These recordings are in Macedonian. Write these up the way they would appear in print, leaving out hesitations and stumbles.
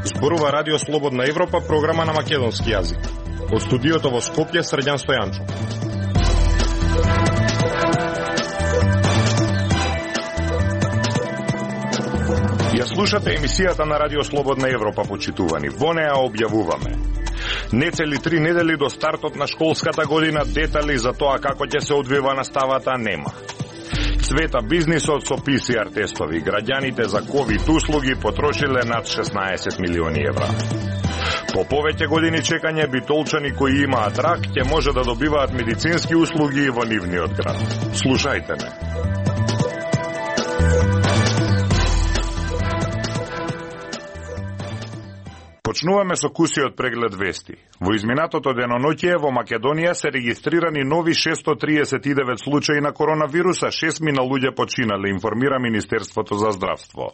Зборува Радио Слободна Европа, програма на македонски јазик. Од студиото во Скопје, Срđan Стојанчов. Ја слушате емисијата на Радио Слободна Европа, почитувани. Во неа објавуваме нецели 3 недели до стартот на школската година, детали за тоа како ќе се одвива наставата нема. Цвета бизнисот со PCR тестови. Граѓаните за COVID услуги потрошиле над 16 милиони евра. По повеќе години чекање, битолчани кои имаат рак ќе може да добиваат медицински услуги во нивниот град. Слушајте ме. Почнуваме со кусиот преглед вести. Во изминатото деноноќие во Македонија се регистрирани нови 639 случаи на коронавируса, 6 мина луѓе починале, информира Министерството за здравство.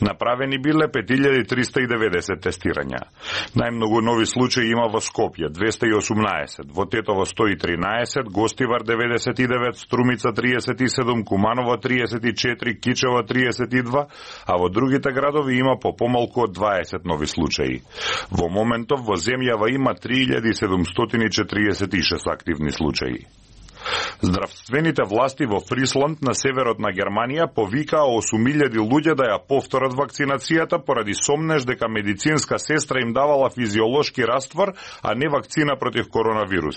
Направени биле 5390 тестирања. Најмногу нови случаи има во Скопје 218, во Тетово 113, Гостивар 99, Струмица 37, Куманово 34, Кичево 32, а во другите градови има по помалку од 20 нови случаи. Во моментов во земјава има 3746 активни случаи. Здравствените власти во Фрисланд на северот на Германија повикаа 8000 луѓе да ја повторат вакцинацијата поради сомнеж дека медицинска сестра им давала физиолошки раствор, а не вакцина против коронавирус.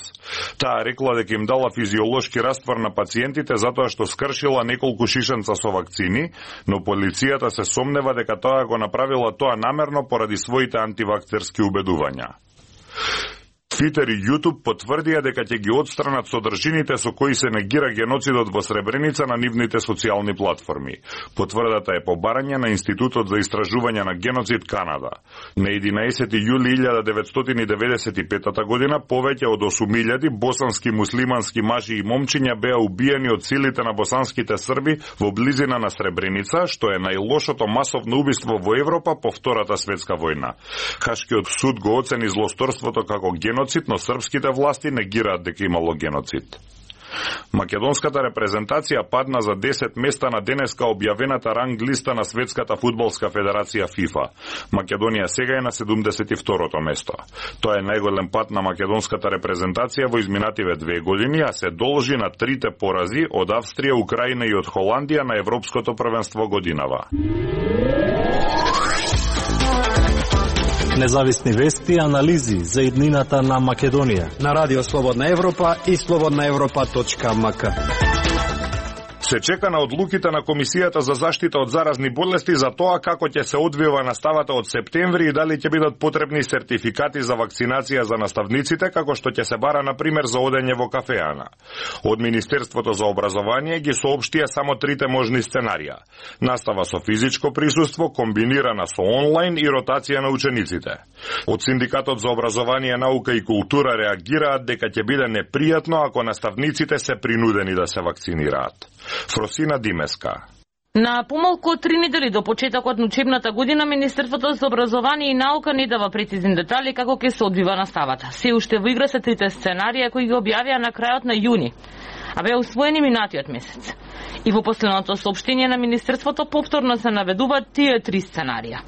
Таа рекла дека им дала физиолошки раствор на пациентите затоа што скршила неколку шишенца со вакцини, но полицијата се сомнева дека тоа го направила тоа намерно поради своите антивакцерски убедувања. Твитер и YouTube потврдија дека ќе ги отстранат содржините со кои се негира геноцидот во Сребреница на нивните социјални платформи. Потврдата е по барање на Институтот за истражување на геноцид Канада. На 11 јули 1995 година повеќе од 8000 босански муслимански мажи и момчиња беа убиени од силите на босанските срби во близина на Сребреница, што е најлошото масовно убиство во Европа по Втората светска војна. Хашкиот суд го оцени злосторството како геноцид, но српските власти негираат дека имало геноцид. Македонската репрезентација падна за 10 места на денеска објавената ранг листа на Светската фудбалска федерација FIFA. Македонија сега е на 72-то место. Тоа е најголем пат на македонската репрезентација во изминативе 2 години, а се должи на 3 порази од Австрија, Украина и од Холандија на Европското првенство годинава. Независни вести и анализи за иднината на Македонија на Радио Слободна Европа и slobodnaevropa.mk. Се чека на одлуките на Комисијата за заштита од заразни болести за тоа како ќе се одвива наставата од септември и дали ќе бидат потребни сертификати за вакцинација за наставниците, како што ќе се бара, например, за одење во кафеана. Од Министерството за образование ги соопштија само 3 можни сценарија. Настава со физичко присуство, комбинирана со онлайн и ротација на учениците. Од Синдикатот за образование, наука и култура реагираат дека ќе биде непријатно ако наставниците се принудени да се вакцинираат. Фросина Димеска. На помалку од 3 недели до почетокот на учебната година, Министерството за образование и наука не дава прецизни детали како ќе се одвива наставата. Се уште во игра се 3 сценарија кои ги објавија на крајот на јуни, а беа усвоени минатиот месец. И во последното соопштение на Министерството повторно се наведуваат тие 3 сценарија.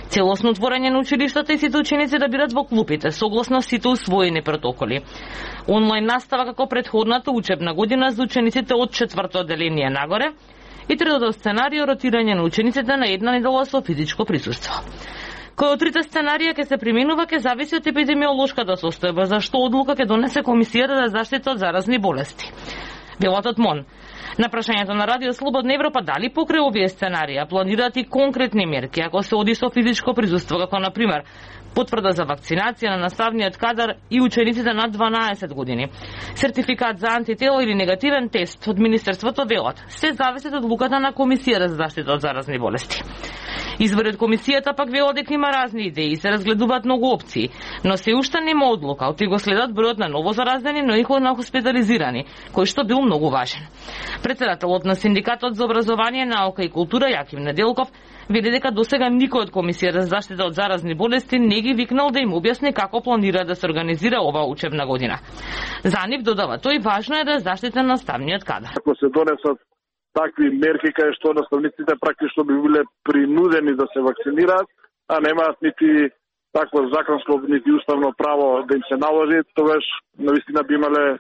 Целосно отворање на училиштата и сите ученици да бидат во клупите, согласно сите усвоени протоколи. Онлайн настава како претходната учебна година за учениците од 4-то одделение нагоре и третото сценарио ротирање на учениците на 1 недела со физичко присуство. Кој од 3 сценарија ќе се применува ќе зависи од епидемиолошката состојба, за што одлука ќе донесе Комисијата за заштита од заразни болести. Делотот МОН. На прашањето на Радио Слободна Европа дали покрај овие сценарија планираат и конкретни мерки ако се оди со физичко присуство, како на пример потврда за вакцинација на наставниот кадар и учениците над 12 години, сертификат за антитела или негативен тест од Министерството велат, се зависи од одлуката на Комисијата за заштита од заразни болести. Извори од комисијата пак велат дека има разни идеи и се разгледуваат многу опции, но се уште нема одлука, оти го следат бројот на ново заразени, но и на хоспитализирани, кој што бил многу важен. Председателот на Синдикатот за образование, наука и култура Јаким Неделков вели дека досега никој од Комисијата за заштита од заразни болести не ги викнал да им објасни како планира да се организира оваа учебна година. За нив, додава тој, важно е да заштита наставниот кадар. Ако се донесат такви мерки кај што наставниците практично би биле принудени да се вакцинираат, а немаат нити такво законско, нити уставно право да им се наложи, тогаш навистина би имале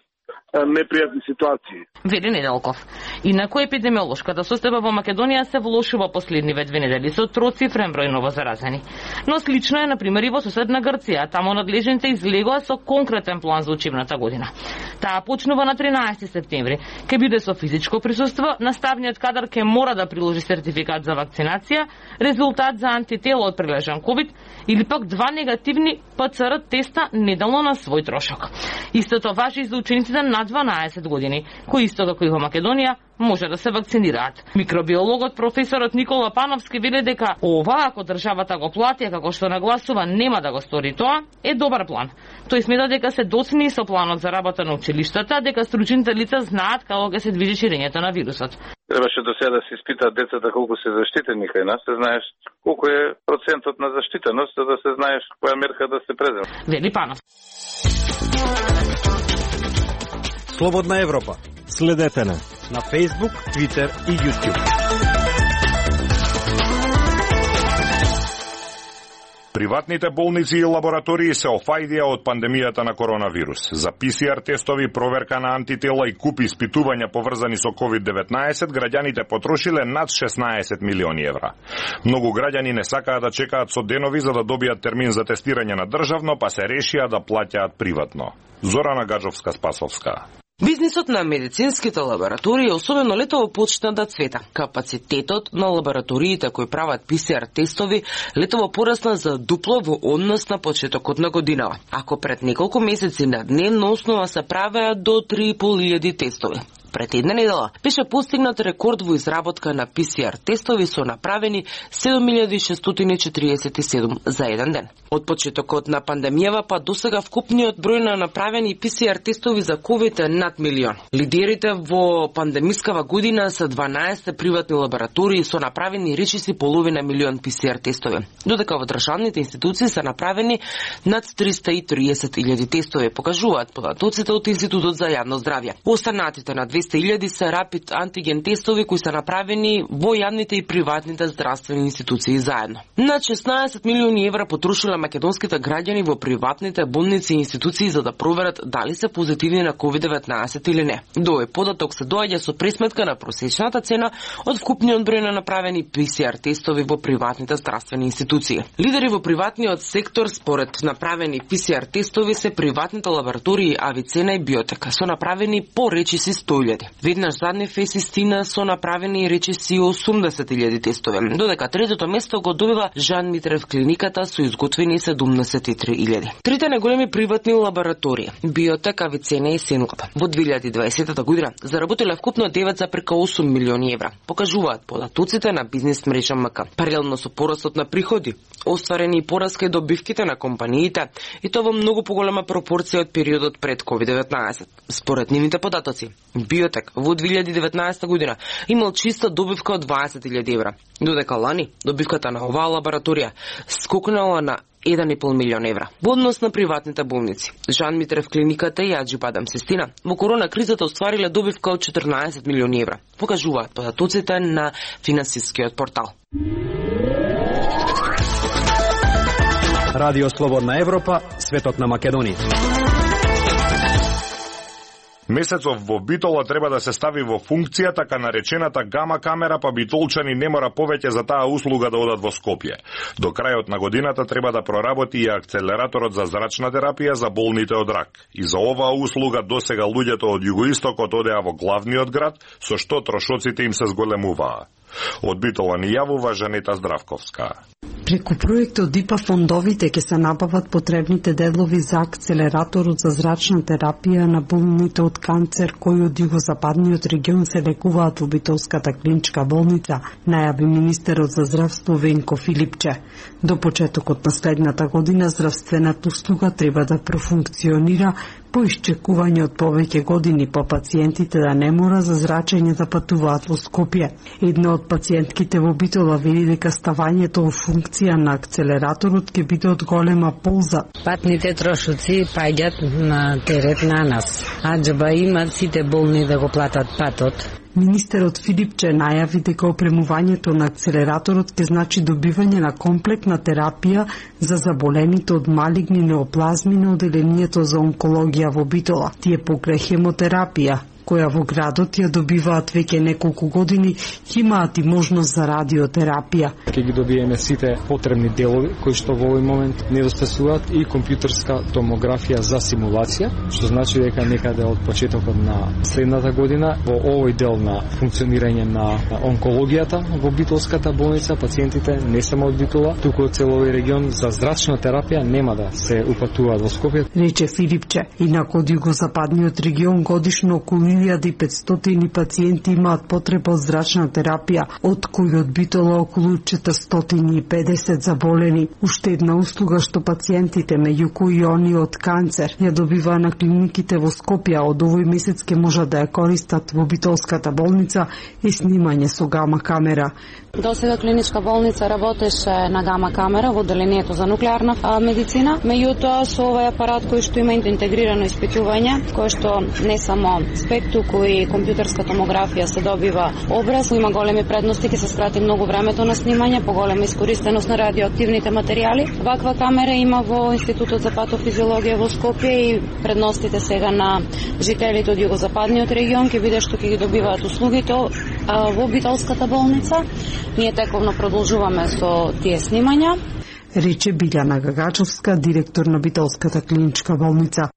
непријатни ситуации. Вели Неделков. Инаку епидемиолошката состојба во Македонија се влошува последниве 2 недели со троцифрен број новозаразени. Но слично е, например, и во соседна Грција. Таму надлежните излегоа со конкретен план за учебната година. Таа почнува на 13 септември. Ке биде со физичко присуство, наставниот кадар ке мора да приложи сертификат за вакцинација, резултат за антитело од прилежан ковид или пак 2 негативни ПЦР теста неделно на свој трошок. Истото важи и за учениците над 12 години, кои исто како и во Македонија може да се вакцинираат. Микробиологот професорот Никола Пановски вели дека ова, ако државата го плати, како што нагласува, нема да го стори тоа, е добар план. Тој смета дека се доцни со планот за работа на училиштата, дека стручните лица знаат како ќе се движи ширењето на вирусот. Требаше до сега да се испитаат децата колку се заштитени кај нас, се знаеш колку е процентот на заштитеност, за да се знаеш која мерка да се презема. Вели Панов. Слободна Европа. Следете на Facebook, Twitter и YouTube. Приватните болници и лаборатории се офајдија од пандемијата на коронавирус. За ПСР тестови, проверка на антитела и куп испитувања поврзани со COVID-19, граѓаните потрошиле над 16 милиони евра. Многу граѓани не сакаат да чекаат со денови за да добијат термин за тестирање на државно, па се решија да плаќаат приватно. Зорана Гаджовска-Спасовска. Бизнисот на медицинските лаборатории особено летово почна да цвета. Капацитетот на лабораториите кои прават ПСР тестови летово порасна за дупло во однос на почетокот на годинава. Ако пред неколку месеци на дневна основа се правеа до 3.500 тестови. Пред една недела беше постигнат рекорд во изработка на ПСР тестови со направени 7647 за еден ден. Од почетокот на пандемијава па досега вкупниот број на направени ПСР тестови за ковид е над милион. Лидерите во пандемискава година се 12 приватни лаборатории со направени речиси половина милион ПСР тестови, додека во државните институции се направени над 330.000 тестови, покажуваат податоците од Институтот за јавно здравје. Останатите на 200.000 се рапид антиген тестови кои се направени во јавните и приватните здравствени институции заедно. Над 16 милиони евра потрошиле македонските граѓани во приватните болници и институции за да проверат дали се позитивни на COVID-19 или не. До овој податок се доаѓа со пресметка на просечната цена од вкупниот број на направени ПСР тестови во приватните здравствени институции. Лидери во приватниот сектор според направени ПСР тестови се приватните лаборатории Авицена и Биотека со направени по речиси 100.000. Веднаш заднив е Систина со направени речиси 80.000 тестови, додека третото место го добива Жан Митрев клиниката со изготвени 73.000. Трите најголеми приватни лаборатории Биотек, Авицена и Сенлаб во 2020 година заработиле вкупно 9,8 милиони евра, покажуваат податоците на бизнес мрежа МК. Паралелно со порастот на приходи, остварени и пораска и добивките на компаниите, и тоа во многу поголема пропорција од периодот пред COVID-19. Според нивните податоци, Биотек во 2019 година имал чиста добивка од 20.000 евра, додека лани добивката на оваа лабораторија скокнала на 1,5 милион евра. Во однос на приватните болници, Жан Митрев клиниката и Аџибадам Систина во корона кризата оствариле добивка од 14 милиони евра, покажуваат податоците на финансискиот портал. Радио Слободна Европа, светот на Македонија. Месецов во Битола треба да се стави во функција така наречената гама камера, па битолчани не мора повеќе за таа услуга да одат во Скопје. До крајот на годината треба да проработи и акцелераторот за зрачна терапија за болните од рак. И за оваа услуга досега луѓето од југоистокот одеа во главниот град, со што трошоците им се зголемуваа. Од Битола ни јавува Жанета Здравковска. Преку проектот ИПА фондовите ќе се набават потребните делови за акцелераторот за зрачна терапија на болните од канцер кои од југозападниот регион се лекуваат во Битолската клиничка болница, најави министерот за здравство Венко Филипче. До почетокот на следната година здравствената услуга треба да профункционира по исчекување од повеќе години по пациентите да не мора за зрачење да патуваат во Скопје. Една од пациентките во Битола вели дека ставањето во функција на акцелераторот ќе биде од голема полза. Патните трошоци паѓат на терет на нас, а џаба имат сите болни да го платат патот. Министерот Филипче најави дека опремувањето на акцелераторот ќе значи добивање на комплексна терапија за заболените од малигни неоплазми на оделението за онкологија во Битола. Тие покрај хемотерапија, која во градот ја добиваат веќе неколку години, имаат и можност за радиотерапија. Ќе ги добиеме сите потребни делови кои што во овој момент недостасуваат и компјутерска томографија за симулација, што значи дека некаде од почетокот на следната година во овој дел на функционирање на онкологијата во Битолската болница пациентите не само од Битола, туку од целови регион за зрачна терапија нема да се упатуваат во Скопје. Рече Филипче, инаку од југозападниот регион годишно околу 1500 пациенти имаат потреба од зрачна терапија, од кои од Битола околу 450 заболени. Уште една услуга што пациентите, меѓу кои они од канцер, ја добиваа на клиниките во Скопје, од овој месец ќе можат да ја користат во Битолската болница и снимање со гама камера. До сега клиничка болница работеше на гама камера во одделението за нуклеарна медицина, меѓутоа со овој апарат кој што има интегрирано испитување, кој што не само спект, туку и компјутерска томографија се добива образ, има големи предности, ќе се скрати многу времето на снимање, поголема искористеност на радиоактивните материјали. Ваква камера има во Институтот за патофизиологија во Скопје и предностите сега на жителите од југозападниот регион ќе биде што ќе ги добиваат услугите во Битолската болница. Ние тековно продолжуваме со тие снимања. Рече Билјана Гагачовска, директор на Битолската клиничка болница.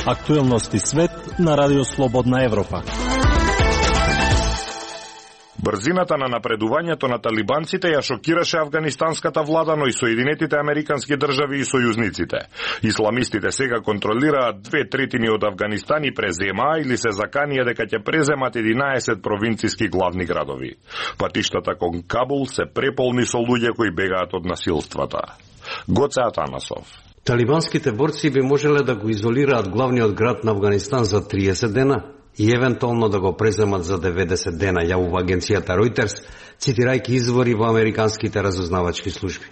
Актуелности свет на Радио Слободна Европа. Брзината на напредувањето на талибанците ја шокираше афганистанската влада, но и Соединетите американски држави и сојузниците. Исламистите сега контролираат 2/3 од Афганистан и преземаа или се заканија дека ќе преземат 11 провинциски главни градови. Патиштата кон Кабул се преполни со луѓе кои бегаат од насилствата. Гоце Атанасов. Талибанските борци би можеле да го изолираат главниот град на Афганистан за 30 дена и евентуално да го преземат за 90 дена, јавува агенцијата Reuters, цитирајќи извори во американските разузнавачки служби.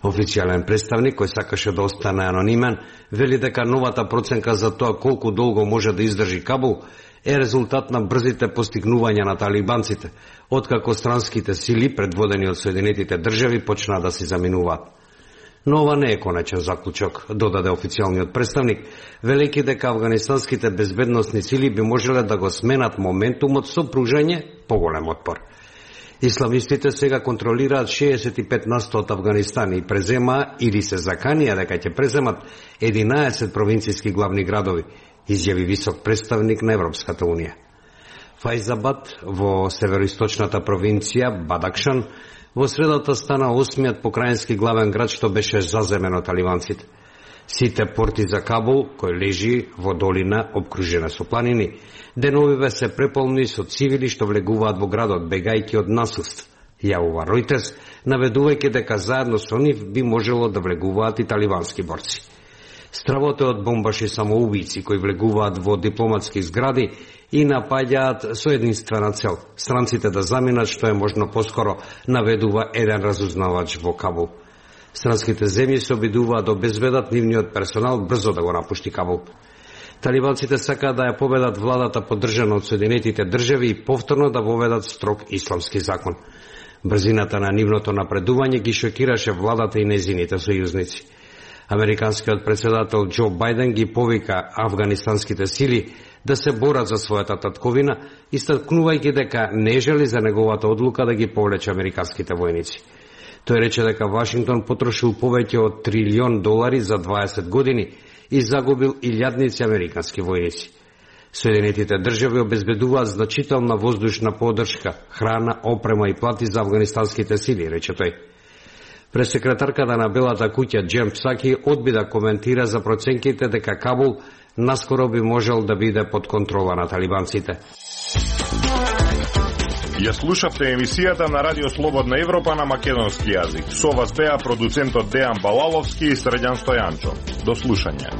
Официјален представник, кој сакаше да остане анонимен, вели дека новата проценка за тоа колку долго може да издржи Кабул е резултат на брзите постигнувања на талибанците, откако странските сили, предводени од Соединетите држави, почнаа да се заминуваат. Но ова не е конечен заклучок, додаде официјалниот представник, велејќи дека афганистанските безбедносни сили би можеле да го сменат моментумот со пружање поголем отпор. Исламистите сега контролираат 65% од Афганистан и преземаа или се заканија дека ќе преземат 11 провинцијски главни градови, изјави висок представник на Европската унија. Фајзабад во североисточната провинција Бадакшан во средата стана 8-миот покрајински главен град што беше заземен од талибанците. Сите порти за Кабул, кој лежи во долина обкружена со планини, деновиве се преполни со цивили што влегуваат во градот, бегајќи од насилство, јавува Reuters, наведувајќи дека заедно со нив би можело да влегуваат и талибански борци. Стравото од бомбаши самоубици кои влегуваат во дипломатски згради и напаѓаат со единствена цел – странците да заминат што е можно поскоро, наведува еден разузнавач во Кабул. Странските земји се обидуваат да обезбедат нивниот персонал брзо да го напушти Кабул. Талибанците сакаат да ја победат владата поддржана од Соединетите држави и повторно да воведат строг исламски закон. Брзината на нивното напредување ги шокираше владата и незините сојузници. Американскиот председател Џо Бајден ги повика афганистанските сили да се борат за својата татковина, истакнувајќи дека не жели за неговата одлука да ги повлече американските војници. Тој рече дека Вашингтон потрошил повеќе од $1 трилион за 20 години и загубил илјадници американски војници. Соединетите држави обезбедуваат значителна воздушна поддршка, храна, опрема и плати за афганистанските сили, рече тој. Пресекретарката на Белата куќа Џем Псаки одби да коментира за проценките дека Кабул наскоро би можел да биде под контрола на талибанците. Ја слушавте емисијата на Радио Слободна Европа на македонски јазик. Со вас беа продуцентот Дејан Балаловски и Средјан Стојанчо. До слушање.